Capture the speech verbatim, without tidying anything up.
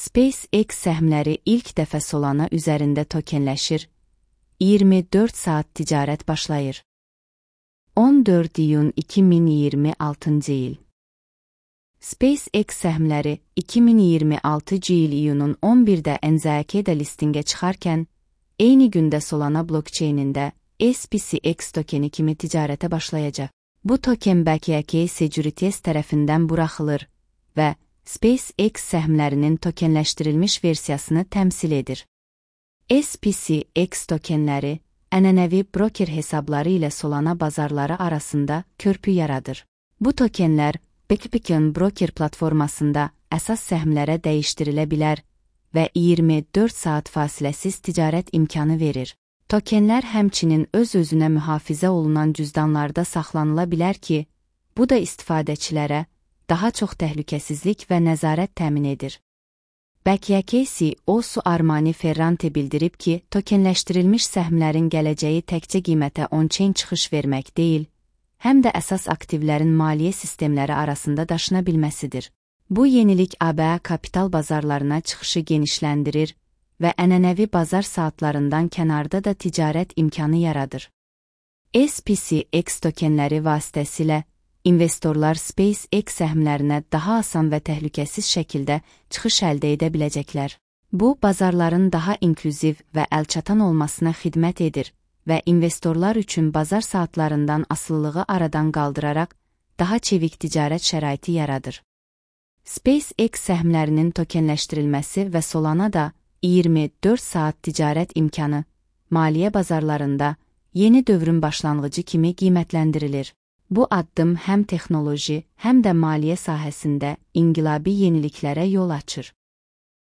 SpaceX səhmləri ilk dəfə Solana üzərində tokenləşir. iyirmi dörd saat ticarət başlayır. on dörd iyun iki min iyirmi altıncı il. SpaceX səhmləri iki min iyirmi altıncı il iyunun on birdə N Z K-də listingə çıxarkən, eyni gündə Solana blockchainində S P C X tokeni kimi ticarətə başlayacaq. Bu token B K K Securities tərəfindən buraxılır və SpaceX səhmlərinin tokenləşdirilmiş versiyasını təmsil edir. S P C X tokenləri ənənəvi broker hesabları ilə Solana bazarları arasında körpü yaradır. Bu tokenlər Bitcoin broker platformasında əsas səhmlərə dəyişdirilə bilər və iyirmi dörd saat fasiləsiz ticarət imkanı verir. Tokenlər həmçinin öz-özünə mühafizə olunan cüzdanlarda saxlanıla bilər ki, bu da istifadəçilərə daha çox təhlükəsizlik və nəzarət təmin edir. B K K C E O Armani Ferrante bildirib ki, tokenləşdirilmiş səhmlərin gələcəyi təkcə qiymətə on-chain çıxış vermək deyil, həm də əsas aktivlərin maliyyə sistemləri arasında daşına bilməsidir. Bu yenilik A B A kapital bazarlarına çıxışı genişləndirir və ənənəvi bazar saatlarından kənarda da ticarət imkanı yaradır. S P C X tokenləri vasitəsilə investorlar SpaceX səhmlərinə daha asan və təhlükəsiz şəkildə çıxış əldə edə biləcəklər. Bu, bazarların daha inklüziv və əlçatan olmasına xidmət edir və investorlar üçün bazar saatlarından asılılığı aradan qaldıraraq daha çevik ticarət şəraiti yaradır. SpaceX səhmlərinin tokenləşdirilməsi və Solana da iyirmi dörd saat ticarət imkanı maliyyə bazarlarında yeni dövrün başlanğıcı kimi qiymətləndirilir. Bu addım həm texnoloji, həm də maliyyə sahəsində inqilabi yeniliklərə yol açır.